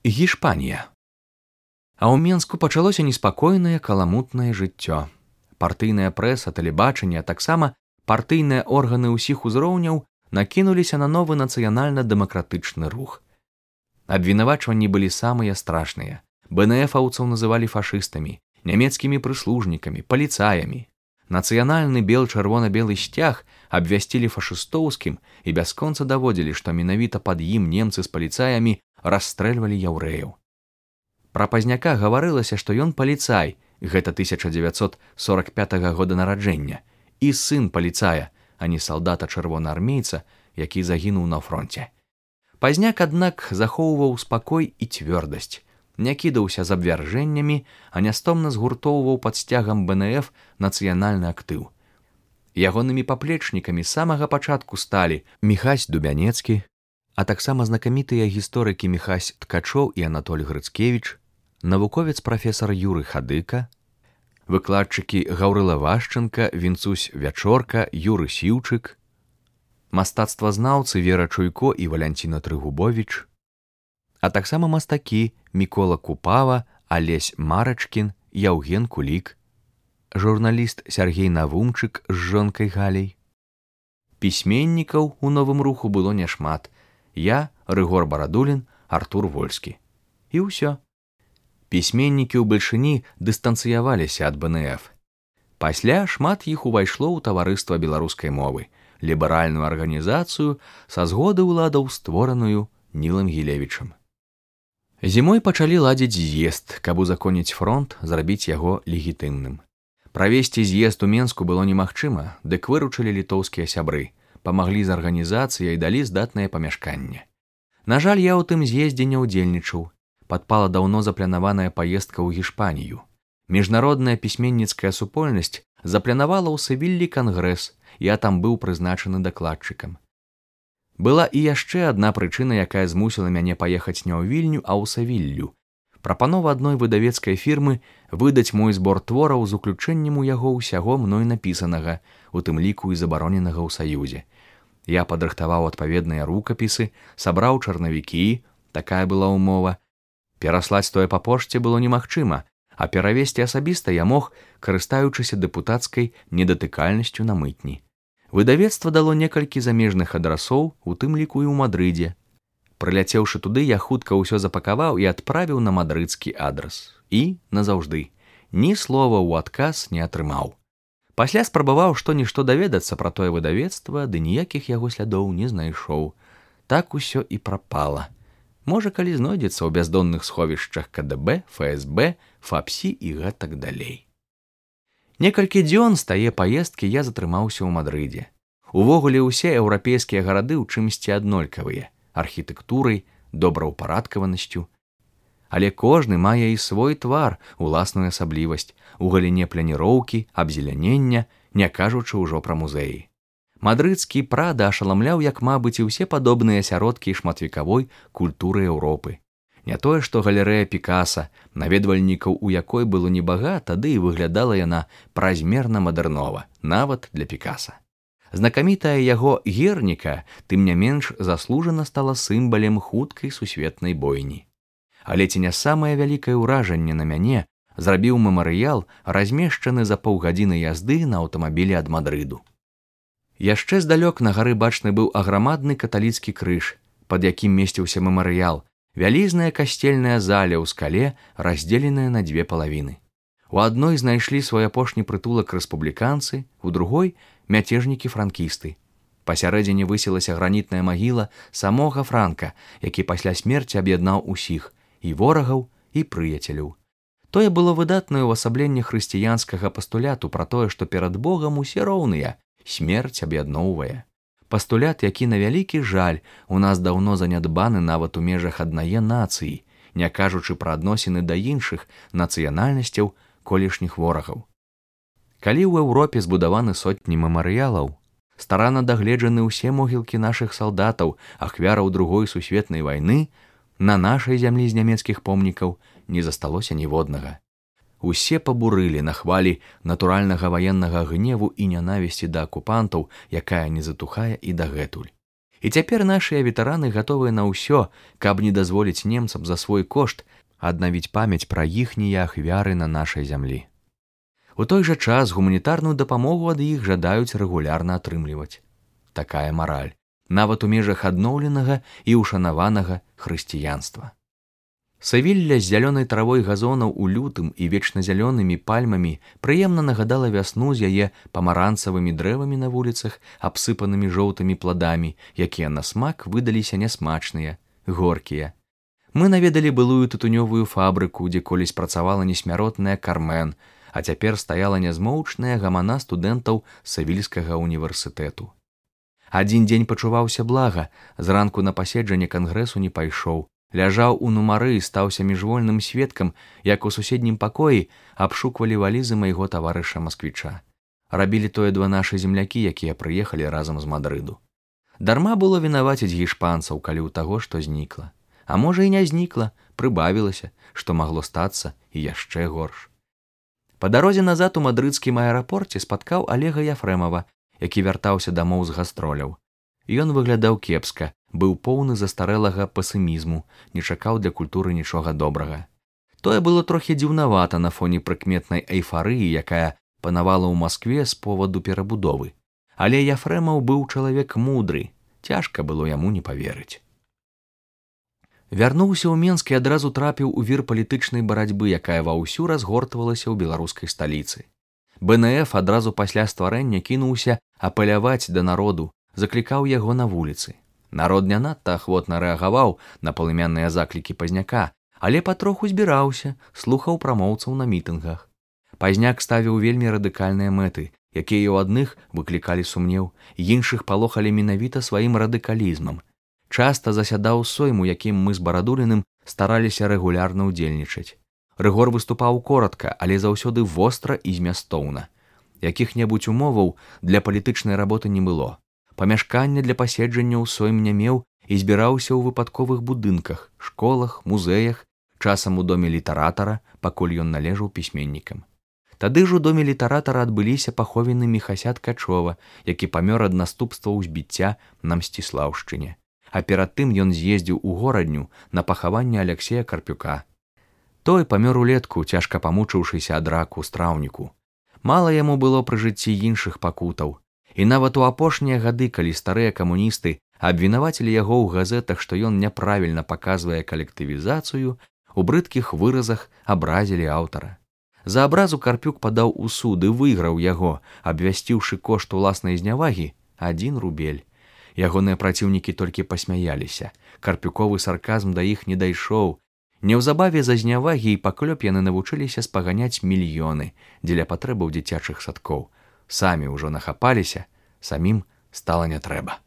Гішпанія. А ў Менску пачалося неспакойнае каламутнае жыццё. Партыйная прэса, тэлебачанне, а таксама партыйныя органы ўсіх узроўняў накінуліся на новы нацыянальна-дэмакратычны рух. Абвінавачванні былі самыя страшныя. БНФаўцаў называлі фашыстамі, нямецкімі прыслужнікамі, паліцаямі. Нацыянальны бел-чырвона-белы сцяг абвясцілі фашыстоўскім і бясконца даводзілі, што менавіта пад ім немцы з паліцаямі расстрэльвалі яўрэяў. Пра Пазняка гаварылася, што ён паліцай, гэта 1945 года нараджэння, і сын паліцая, а не салдата-чырвонаармейца, які загінуў на фронце. Пазняк, аднак, захоўваў спакой і цвёрдасць, не кідаўся з абвяржэннямі, а нястомна згуртоўваў пад сцягам БНФ нацыянальны актыў. Ягонымі паплечнікамі з самага пачатку сталі Міхась Дубянецкі, а таксама знакамітыя гісторыкі Міхась Ткачоў і Анатоль Грыцкевіч, навуковец прафесар Юры Хадыка, выкладчыкі Гаўрыла Вашченка, Вінцусь Вячорка, Юры Сіўчык, мастацтвазнаўцы Вера Чуйко і Валянціна Трыгубовіч, а таксама мастакі Мікола Купава, Алесь Марачкін, Яўген Кулік, журналіст Сяргей Навумчык з жонкай Галяй. Пісьменнікаў у новым руху было няшмат. Я, Рыгор Барадулін, Артур Вольскі. І ўсё. Пісьменнікі ў Бальшыні дыстанцыяваліся ад БНФ. Пасля шмат іх увайшло ў таварыства беларускай мовы, ліберальную арганізацыю са згоды ўладаў, створаную Нілам Гілевічам. Зімой пачалі ладзіць з'езд, каб узаконіць фронт, зрабіць яго легітымным. Правесці з'езд у Менску было немагчыма, дык выручылі літоўскія сябры, памаглі з арганізацыяй і далі здатнае памяшканне. На жаль, я ў тым з'ездзе не ўдзельнічаў. Падпала даўно запланаваная паездка ў Гішпанію. Міжнародная пісьменніцкая супольнасць запланавала ў Севіллі кангрэс, я там быў прызначаны дакладчыкам. Была і яшчэ адна прычына, якая змусіла мяне паехаць не ў Вільню, а ў Севіллю. Прапанова адной выдавецкай фірмы выдаць мой збор твораў з уключэннем у яго ўсяго мной напісанага, у тым ліку і забароненага ў Саюзе. Я падрыхтаваў адпаведныя рукапісы, сабраў чарнавікі, такая была ўмова. Пераслаць тое па пошце было немагчыма, а перавесці асабіста я мог, карыстаючыся дэпутацкай недатыкальнасцю на мытні. Выдавецтва дало некалькі замежных адрасоў, у тым ліку і ў Мадрыдзе. Прыляцеўшы туды, я хутка ўсё запакаваў і адправіў на мадрыдскі адрас. І, назаўжды, ні слова ў адказ не атрымаў. Пасля спрабаваў што-нішто даведацца пра тое выдавецтва, ды ніякіх яго слядоў не знайшоў. Так усё і прапала. Можа, калі знойдзецца ў бяздонных сховішчах КДБ, ФСБ, ФАПСі і гэтак далей. Некалькі дзён з тае паездкі я затрымаўся ў Мадрыдзе. Увогуле ўсе еўрапейскія гарады ў чымсьці аднолькавыя, архітэктурай, добраўпарадкаванасцю. Але кожны мае і свой твар, уласную асаблівасць у галіне пляніроўкі, абзелянення, не кажучы ўжо пра музеі. Мадрыдскі Прада ашаламляў, як, мабыць, і ўсе падобныя асяродкі шматвекавой культуры Еўропы. Не тое, што галерэя Пікаса, наведвальнікаў у якой было небагата, тады і выглядала яна празмерна мадэрнова, нават для Пікаса. Знакамітая яго Герніка, тым не менш, заслужана стала сімбалем хуткай сусветнай бойні. Але ці не самае вялікае ўражанне на мяне зрабіў мемарыял, размешчаны за паўгадзіны язды на аўтамабілі ад Мадрыду. Яшчэ здалёк на гары бачны быў аграмадны каталіцкі крыж, пад якім месціўся мемарыял, вялізная касцельная заля ў скале, раздзеленая на дзве палавіны. У адной знайшлі свой апошні прытулак рэспубліканцы, у другой мяцежнікі-франкісты. Пасярэдзіне высілася гранітная магіла самога Франка, які пасля смерці аб'яднаў усіх, і ворагаў, і прыяцеляў. Тое было выдатнае ўвасабленне хрысціянскага пастуляту пра тое, што перад Богам усе роўныя, смерць аб'ядноўвае. Пастулят, які, на вялікі жаль, у нас даўно занядбаны нават у межах аднае нацыі, не кажучы пра адносіны да іншых нацыянальнасцяў колішніх ворагаў. Калі ў Еўропе збудаваны сотні мемарыялаў, старанна дагледжаны ўсе могілкі нашых салдатаў, ахвяраў Другой сусветнай вайны, на нашай зямлі з нямецкіх помнікаў не засталося ніводнага. Усе пабурылі на хвалі натуральнага ваеннага гневу і нянавісці да акупантаў, якая не затухае і дагэтуль. І цяпер нашыя ветэраны гатовыя на ўсё, каб не дазволіць немцам за свой кошт аднавіць памяць пра іхнія ахвяры на нашай зямлі. У той жа час гуманітарную дапамогу ад іх жадаюць рэгулярна атрымліваць. Такая мараль, нават у межах адноўленага і ўшанаванага хрысціянства. Савілля з зялёнай травой газонаў у лютым і вечназялёнымі пальмамі прыемна нагадала вясну з яе памаранцавымі дрэвамі на вуліцах, абсыпанымі жоўтымі пладамі, якія на смак выдаліся нясмачныя, горкія. Мы наведалі былую тытунёвую фабрыку, дзе колісь працавала несмяротная Кармен, а цяпер стаяла нязмоўчная гамана студэнтаў Савільскага універсітэту. Адзін дзень пачуваўся блага, зранку на паседжанне кангрэсу не пайшоў, ляжаў у нумары і стаўся міжвольным сведкам, як у суседнім пакоі абшуквалі валізы майго таварыша-масквіча. Рабілі тое два нашы землякі, якія прыехалі разам з Мадрыду. Дарма было вінаваціць гішпанцаў, калі ў таго, што знікла. А можа і не знікла, прыбавілася, што магло стацца і яшчэ горш. Па дарозе назад у мадрыдскім аэрапорце спаткаў Алега Яфрэмава, які вяртаўся дамоў з гастроляў. Ён выглядаў кепска, быў поўны застарэлага пасімізму, не чакаў для культуры нічога добрага. Тое было трохі дзіўнавата на фоне прыкметнай эйфарыі, якая панавала ў Маскве з поваду перабудовы. Але Яфрэмаў быў чалавек мудры, цяжка было яму не паверыць. Вярнуўся ў Менск і адразу трапіў у вір палітычнай барацьбы, якая ваўсю разгортвалася ў беларускай сталіцы. БНФ адразу пасля стварэння кінуўся апеляваць да народу, заклікаў яго на вуліцы. Народ не надта ахвотна рэагаваў на палымянныя заклікі Пазняка, але патроху збіраўся, слухаў прамоўцаў на мітынгах. Пазняк ставіў вельмі радыкальныя мэты, якія ў адных выклікалі сумнеў, іншых палохалі менавіта сваім радыкалізмам. Часта засядаў сойму, якім мы з Барадуліным стараліся рэгулярна ўдзельнічаць. Рыгор выступаў коратка, але заўсёды востра і змястоўна. Якіх-небудзь умоваў для палітычнай работы не было. Памяшкання для паседжанняў сойм не меў і збіраўся ў выпадковых будынках, школах, музеях, часам у доме літаратара, пакуль ён належаў пісьменнікам. Тады ж у доме літаратара адбыліся паховіны Міхася Ткачова, які памёр ад наступстваў збіцця на Мсціслаўшчыне. А перад тым ён з'ездзіў у горадню на пахаванне Аляксея Карпюка. Той памёр улетку, цяжка памучыўшыся ад раку ў страўніку. Мала яму было пры жыцці іншых пакутаў. І нават у апошнія гады, калі старыя камуністы абвінавацілі яго ў газетах, што ён няправільна паказвае калектывізацыю, у брыдкіх выразах абразілі аўтара. За абразу Карпюк падаў у суд і выйграў яго, абвясціўшы кошт уласнай знявагі 1 рубель. Ягоныя праціўнікі толькі пасмяяліся. Карпюковы сарказм да іх не дайшоў. Неўзабаве за знявагі і паклёп яны навучыліся спаганяць мільёны дзеля патрэбаў дзіцячых садкоў. Самі ўжо нахапаліся, самім стала не трэба.